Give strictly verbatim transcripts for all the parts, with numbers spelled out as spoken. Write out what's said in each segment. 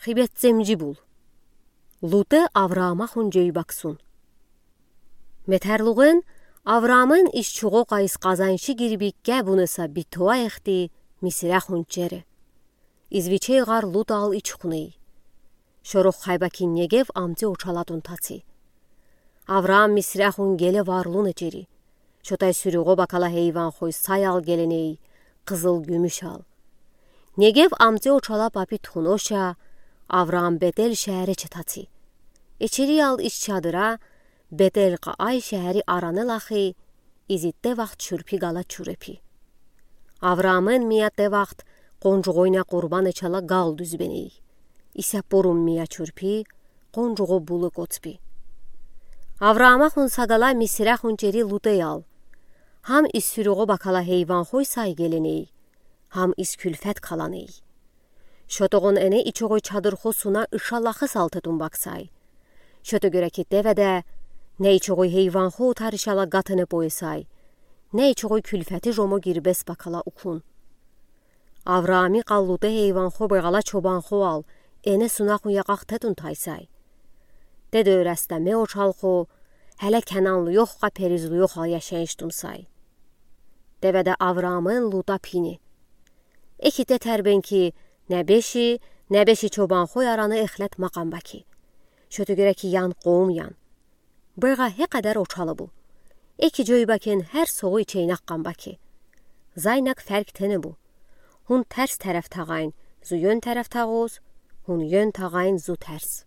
хибет цемжи бул. Лутэ Авраамахун жойбаксун. Метэрлугын Авраамын из чугъо къайыс къазаншы гирби кебунэса битуа эхты Мисирахун чере. Из вичей гъар Лутал ичхунэй. Шорох хайбакин Негев амти очалатун таци. Авраам Мисирахун геле варлуна чери. Шотай сюрюгъо бакала хейванхой саял геленэй, къызыл гюмюшал. Негев амти очала папи тхунуша, Авраам Бетел шаэре четаци. Эчериял из чадыра, Бетел къаай шаэри араны лахи, изитте вахт чурпи гала чурепи. Авраамын миятте вахт къонжугъойна къурбан ичала гал дуьзбенэй. Иса пурум мия чурпи, къонжугъо булы коцпи. Авраамахун сагала Мисирахун чери Лутэял. Хам из сюрюгъо бакала хейванхой сай геленэй, хам из кюльфет каланэй. Шотогъон эне ичогъой чадырхо суна ыша лахы салтэтун баксай. Шото гереките веде, не ичогъой хейванхо таришала гатыны поэсай, не ичогъой кюльфети жомо гирбес бакала укун. Авраами къаллуты хейванхо бегъала чобанхоал эне сунахун якъахтэтун тайсай. Тедо растаме очалхо, хеле Кананлу ёхка перизлу ёхал яшайыштун сай. Теведа Авраамын Лута пини. Эхи тетер бен ки, небеши, небеши чобанхой араны эхлет макъан баки. Шото гереки ян къоум ян. Быйга хекъедер очалы бу. Эки жойбакин хер согъуй чейнаккъан баки. Зайнак ферк тени бу. Хун терс тереф тагъайн, зу ён тереф тагъоз, хун ён тагъайн, зу терс.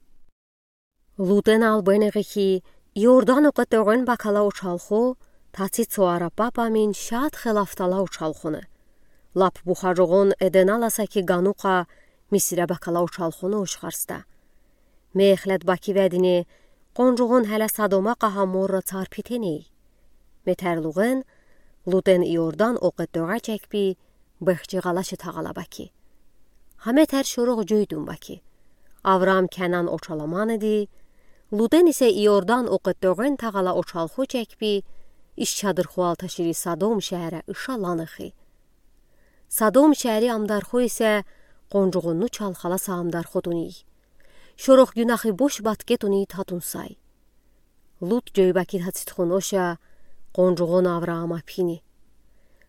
Лутен ал бенеги ки, Иордан окъе тёгъен бакала очалхо, таци цо ара папа мин шат хелафтала очалхоны. Лап бухажогъон Эден аласа ки ганука Мисире бакала очалхоны ушхарста. Мехлет баки ведине, къонжугъон хеле Содома къаха морра царпи теней. Метерлугъен, Лутен Иордан окъе тёгъа чекпи, бехчи гъалаши тагъала баки. Хаме тер шорох жойдун баки. Авраам Канан очала маныди, Лутен исе Иордан окъе тёгъен тагъала очалхо чекпи, из чадырхоал ташири Содом шаэре ыша ланы хи. Содом шаэри амдархо исе къонжугъонну чалхаласа амдархо тунай. Шорох гюнахи бош батке тунай татун сай. Лут жойбаки таци тхуноша, къонжугъон Авраама пини.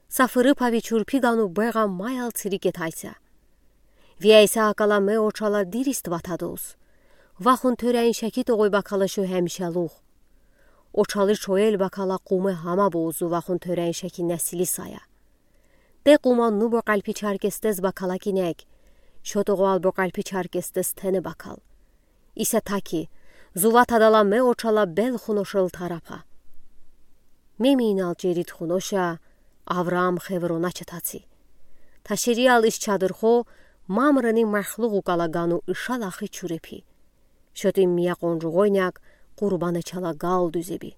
Са фыры пави чурпи гану быйга маял цирик етайса. Вияйса акала ме очала дирист ватадоз. Вахун тёрен шаки тогъой бакала шо хемишалух. Очалы шоэл бакала къуме хама бозу вахун тёрен шаки несили сая. Те къуманну бокъалпи чаркестез бакала кинек, шо тогъал бокъалпи чаркестез тени бакал. Иса таки, зува тадала ме очала бел хуношел тарапа. Ме миинал чери тхуноша, Авраам Хеврона четаци. Ташириал из чадырхо, Мамрени махлугъу кала гану ыша лахи чурепи. Шотим мия къонжугъойняк, къурбан ичала гал дуьзеби.